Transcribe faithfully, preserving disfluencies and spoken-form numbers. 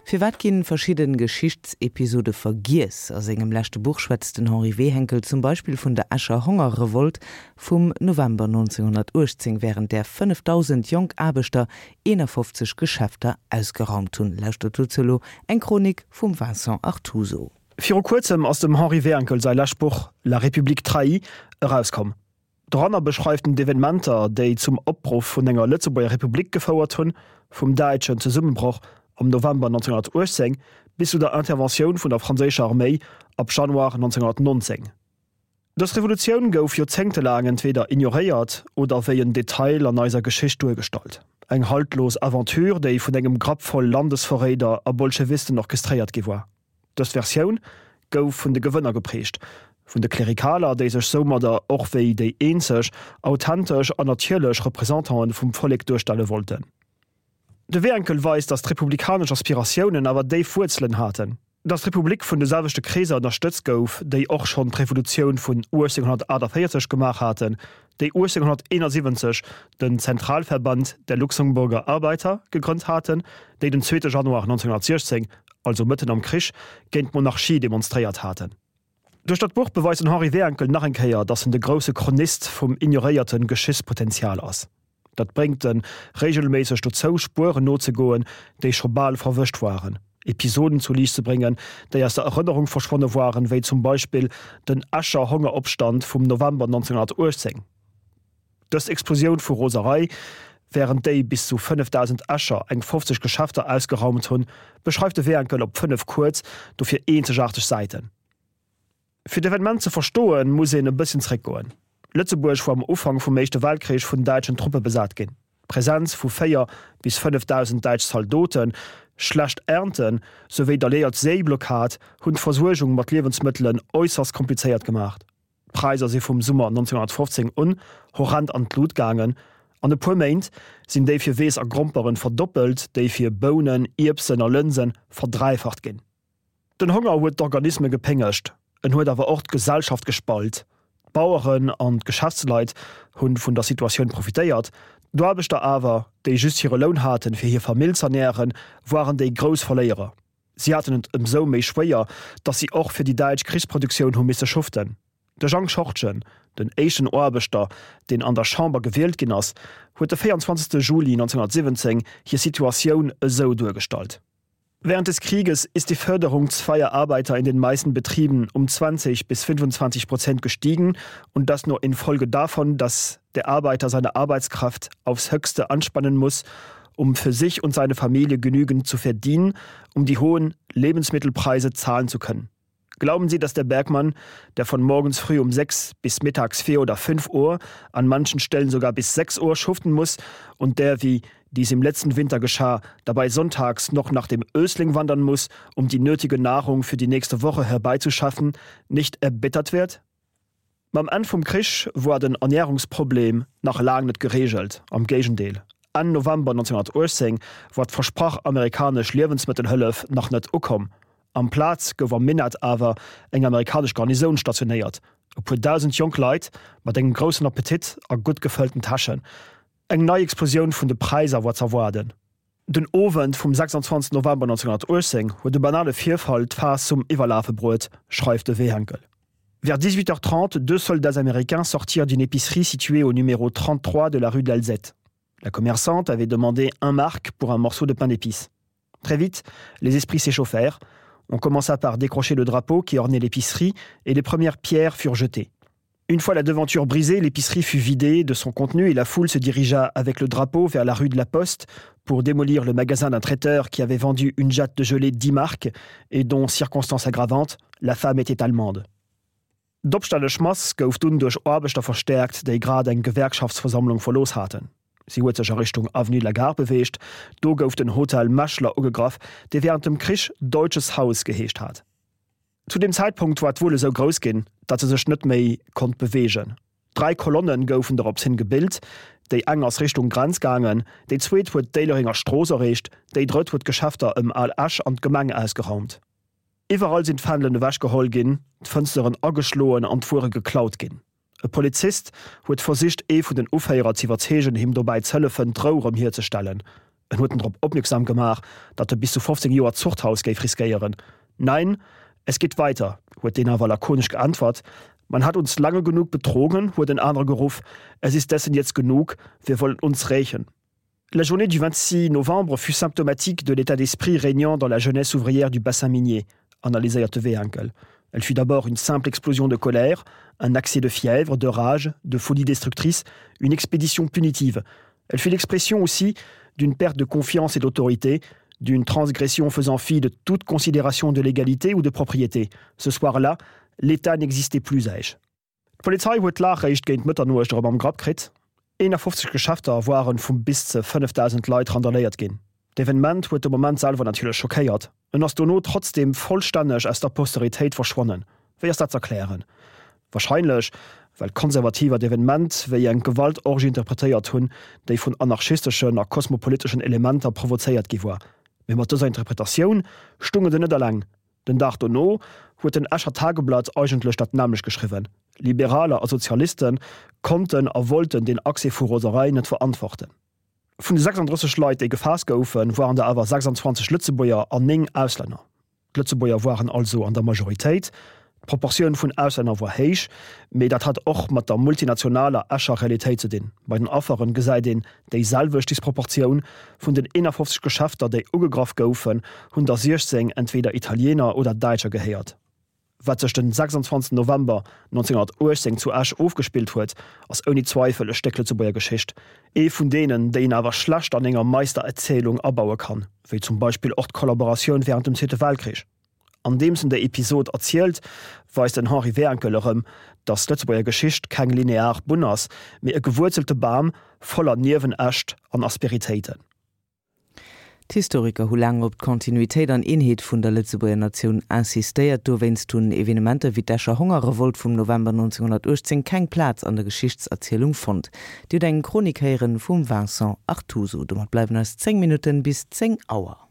Firwat ginn verschidden Geschichtsepisode vergiess? A sengem leschte Buch schwätzt den Henri Wehenkel zum Beispill vun der Escher Hongerrevolt vum November neunzehnhunnertuechtzéng, wärend där fënnefdausend jonk Aarbechter eenafofzeg Geschäfter ausgeraumt hunn. Lauschtert dozou elo eng Chronik vum Vincent Artuso. Viru kuerzem ass dem Henri Wehenkel säi lescht Buch La République trahie erauskomm. Doranner beschreift en d'Evenementer, déi zum Opruff vun enger Lëtzebuerger Republik gefouert hunn, vum däitschen Zesummebroch am November neunzehnhunnertuechtzéng bis zu der Interventioun vun der franséischer Arméi ab Januar neunzehnhunnertnonzéng. Dës Revolutioun gouf joerzéngtelaang entweder ignoréiert oder wéi en Detail an eiser Geschicht duergestallt, eng haltlos Aventure, déi vun engem Grapp voll Landesverréider a Bolschewisten orchestréiert gi war. Dës Versioun gouf vun de Gewënner geprägt, vun de Klerikaler, déi sech soumadder och wéi déi eenzeg authentesch an natierlech Representanten vum Vollek duerstelle wollten. De Wehenkel weist, datt d'republikanesch Aspiratiounen awer déif Wuerzelen haten, datt d'Republik vun de selwechte Kreeser ënnerstëtzt gouf, déi och schonn d'Revolutioun vun uechtzénghunnertaachtavéierzeg gemaach haten, déi uechtzénghunnerteenasiwwenzeg den Zentralverband der Luxemburger Arbeiter gegrënnt haten, déi den zweete Januar neunzehnhunnertsiechzéng, also mëtten am Krich, géint d'Monarchie demonstréiert haten. Duerch dat Buch beweist den Henri Wehenkel nach eng Kéier, datt en de grousse Chronist vum ignoréierte Geschichtspotenzial ass. Dat bréngt en reegelméisseg dozou, Spueren nozegoen, déi scho bal verwëscht waren, Episoden zu Liicht ze bréngen, déi aus der Erënnerung verschwonne waren, wéi zum Beispill den Escher Hongeropstand vum November neunzehnhunnertuechtzéng. Dës Explosioun vu Roserei, wärend déi bis zu fënnefdausend Escher eng fofzeg Geschäfter ausgeraumt hunn, beschreift de Wehenkel op fënnef kuerz, dofir eenzegaarteg Säiten. Fir d'Evenement ze verstoen, muss een e bësschen zréckgoen. Lëtzebuerg war am Ufank vum Éischte Weltkrich vun däitschen Truppe besat ginn. D'Presenz vu véier bis fënnefdausend däitsch Zaldoten, schlecht Ernten, souwéi d'alliéiert Séiblockad hunn d'Versuergung mat Liewensmëttelen äusserst komplizéiert gemaach. D'Präisser si vum Summer neunzehnhunnertfofzéng un horrend an d'Lut gaangen. An e puer Méint sinn déi fir Weess a Gromperen verdoppelt, déi fir Bounen, Ierbsen a Lënse verdräifacht ginn. Den Honger huet d'Organisme gepéngegt, en huet awer och d'Gesellschaft gespalt. D'Baueren an d'Geschäftsleit hu vun der Situatioun profitéiert, d'Aarbechter awer, déi just hire Loun haten, fir hir Famill z'ernären, waren déi grouss Verléierer. Si haten et ëmsou méi schwéier, datt si och fir déi däitsch Krichsproduktioun hu misse schuften. De Jang Schortgen, den éischten Aarbechter, deen an der Chamber gewielt ginn ass, huet de véierundzwanzegste Juli neunzehnhunnertsiwwenzéng hir Situatioun esou duergestallt. Während des Krieges ist die Förderung zweier Arbeiter in den meisten Betrieben um zwanzig bis fünfundzwanzig Prozent gestiegen und das nur infolge davon, dass der Arbeiter seine Arbeitskraft aufs Höchste anspannen muss, um für sich und seine Familie genügend zu verdienen, um die hohen Lebensmittelpreise zahlen zu können. Glauben Sie, dass der Bergmann, der von morgens früh um sechs bis mittags vier oder fünf Uhr, an manchen Stellen sogar bis sechs Uhr schuften muss und der, wie dies im letzten Winter geschah, dabei sonntags noch nach dem Ösling wandern muss, um die nötige Nahrung für die nächste Woche herbeizuschaffen, nicht erbittert wird? Mam Enn vum Krich war den Ernärungsproblem nach laang net geregelt, am Géigendeel, Enn November neunzehnhunnertuechtzéng war d'versprach amerikanesch Liewensmëttelhëllef nach net ukomm. Amplaz gouf am Minett awer eng amerikanesch Garnisoun stationéiert, e puer dausend jonk Leit mat engem groussen Appetit a gutt gefëllten Täschen. Eng nei Explosioun vun de Präisser war z'erwaarden. Den Owend vum sechsundzwanzegsten November neunzehnhunnertuechtzéng huet e banale Virfall d'Faass zum Iwwerlafe bruet, schreift de Wehenkel. Vers dix-huit heures trente, deux soldats américains sortirent d'une épicerie située au numéro trente-trois de la rue de l'Alzette. La commerçante avait demandé un marc pour un morceau de pain d'épices. Très vite, les esprits s'échauffèrent. On commença par décrocher le drapeau qui ornait l'épicerie et les premières pierres furent jetées. Une fois la devanture brisée, l'épicerie fut vidée de son contenu et la foule se dirigea avec le drapeau vers la rue de la Poste pour démolir le magasin d'un traiteur qui avait vendu une jatte de gelée dix marques et dont, circonstance aggravante, la femme était allemande. D'opstännesch Mass gouf dunn duerch Aarbechter verstäerkt, déi grad eng Gewerkschaftsversammlung verlooss haten. Si huet sech a Richtung Avenue de la Gare beweegt. Do gouf den Hotel Meschler ugegraff, dee wärend dem Krich Deutsches Haus geheescht hat. Zu deem Zäitpunkt war d'Wull esou grouss ginn, datt se sech net méi konnt beweegen. Dräi Kolonne goufen dorops hin gebilt, déi eng ass Richtung Grenz gaangen, déi zweet huet d'Éilerenger Strooss erreecht, déi drëtt huet d'Geschäfter ëm Al Esch an d'Gemeng ausgeraumt. Iwwerall sinn d'Fändelen ewechgeholl ginn, d'Fënsteren ageschloen an d'Wuere geklaut ginn. E Polizist huet versicht, ee vun den Uféierer z'iwwerzeegen, him dobäi z'hëllefen, d'Rou erëm hierzestellen. En huet en drop opmierksam gemaach, datt e bis zu fofzéng Joer Zuchthaus géif riskéieren. Nein, es geht weiter, huet deen awer lakonesch geäntwert. Man hat uns lange genug betrogen, huet en anere geruff, es ist dessen jetzt genug, wir wollen uns rächen. La journée du vingt-six novembre fut symptomatique de l'état d'esprit régnant dans la jeunesse ouvrière du bassin minier, analyséiert de Wehenkel. Elle fut d'abord une simple explosion de colère, un accès de fièvre, de rage, de folie destructrice, une expédition punitive. Elle fut l'expression aussi d'une perte de confiance et d'autorité, d'une transgression faisant fi de toute considération de l'égalité ou de propriété. Ce soir-là, l'État n'existait plus à Esch. D'Polizei huet d'Lag réischt géint Mëtternuecht erëm am Grapp kritt. eenafofzeg Geschäfter waren vu bis ze fënnefdausend Leit randaléiert ginn. D'Evenement huet de Moment selwer natierlech schockéiert. En ass dono trotzdeem vollstänneg aus der Posteritéit verschwonnen. Wéi ass dat z'erklären? Warscheinlech, well Konservativer d'Evenement wéi eng Gewaltorgie interpretéiert hunn, déi vun anarchisteschen a kosmopoliteschen Elementer provozéiert gi war. Mee mat dëser Interpretatioun stounge se net eleng. Den Dag dono huet den Escher Tageblatt eigentlech dat nämmlecht geschriwwen. Liberaler a Sozialiste konnten a wollten deen Accès vu Roserei net verantworten. Vun de sechsanddrësseg Leit, déi gefaasst goufen, waren der awer sechsandzwanzeg Lëtzebuerger an néng Auslänner. D'Lëtzebuerger waren also an der Majoritéit. D'Proportioun vun Auslänner war héich, mee dat hat och mat der multinationaler Escher Realitéit ze dinn. Bei den Afferen gesäit een déi selwecht Disproportioun, Vun den eenafofzeg Geschäfter, déi ugegraff goufen, hunn der siechzéng entweder Italiener oder Däitscher gehéiert. Wat sech den sechsundzwanzegsten November nonzénghunnertuechtzéng zu Esch ofgespillt huet, ass ouni Zweifel e Stéck Lëtzebuerger Geschicht. Ee vun deenen, déi een awer schlecht an enger Meistererzielung abaue kann, wéi zum Beispill och d'Kollaboratioun wärend dem Zweete Weltkrich. Andeems en déi Episod erzielt, weist den Henri Wehenkel erëm, datt d'Lëtzebuerger Geschicht keng linear Bunn ass, mee e gewuerzelte Bam voller Niewenäscht an Asperitéiten. D'Historiker hu laang op d'Kontinuitéit an Eenheet vun der Lëtzebuerger Natioun insistéiert. Dowéinst hunn Evenementer wéi d'Escher Hongerrevolt vum November neunzehnhunnertuechtzéng keng Plaz an der Geschichtserzielung fonnt. Dir hutt eng Chronik héieren vum Vincent Artuso. Domat bleiwen eis zéng Minutten bis zéng Auer.